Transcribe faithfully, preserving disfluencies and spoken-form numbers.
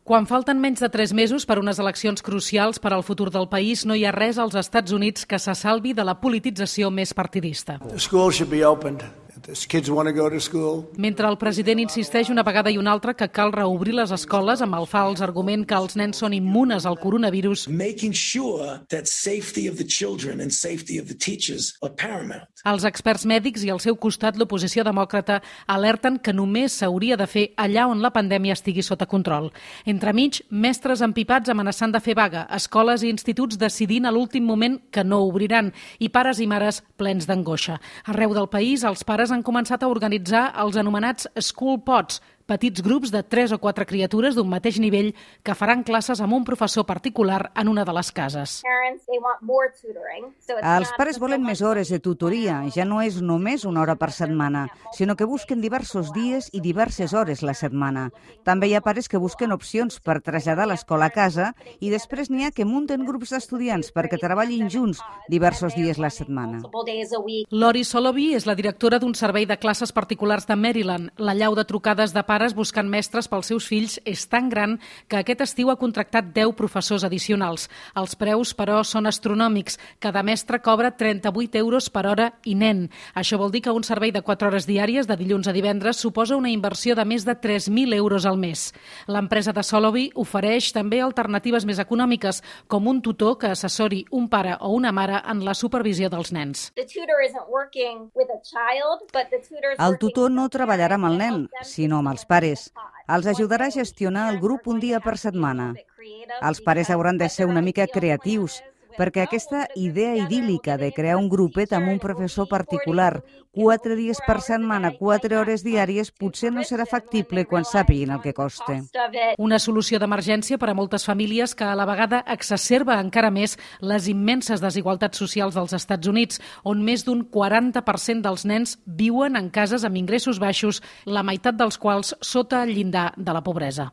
Quan falten menys de tres mesos per unes eleccions crucials per al futur del país, no hi ha res als Estats Units que se salvi de la politització més partidista. Mentre el president insisteix una vegada i una altra que cal reobrir les escoles amb el fals argument que els nens són immunes al coronavirus, els experts mèdics i al seu costat l'oposició demòcrata alerten que només s'hauria de fer allà on la pandèmia estigui sota control. Entremig, mestres empipats amenaçant de fer vaga, escoles i instituts decidint a l'últim moment que no obriran i pares i mares plens d'angoixa. Arreu del país, els pares han començat a organitzar els anomenats School Pods, petits grups de tres o quatre criatures d'un mateix nivell que faran classes amb un professor particular en una de les cases. Els pares volen més hores de tutoria, ja no és només una hora per setmana, sinó que busquen diversos dies i diverses hores la setmana. També hi ha pares que busquen opcions per traslladar l'escola a casa i després n'hi ha que munten grups d'estudiants perquè treballin junts diversos dies la setmana. Lori Solovey és la directora d'un servei de classes particulars de Maryland. La llau de trucades de pares buscant mestres pels seus fills és tan gran que aquest estiu ha contractat deu professors addicionals. Els preus, però, són astronòmics. Cada mestre cobra trenta-vuit euros per hora i nen. Això vol dir que un servei de quatre hores diàries de dilluns a divendres suposa una inversió de més de tres mil euros al mes. L'empresa de Solovey ofereix també alternatives més econòmiques, com un tutor que assessori un pare o una mare en la supervisió dels nens. El tutor no treballarà amb el nen, sinó amb els pares. Els ajudarà a gestionar el grup un dia per setmana. Els pares hauran de ser una mica creatius, perquè aquesta idea idíl·lica de crear un grupet amb un professor particular, quatre dies per setmana, quatre hores diàries, potser no serà factible quan sàpiguin el que costa. Una solució d'emergència per a moltes famílies que a la vegada exacerba encara més les immenses desigualtats socials dels Estats Units, on més d'un quaranta per cent dels nens viuen en cases amb ingressos baixos, la meitat dels quals sota el llindar de la pobresa.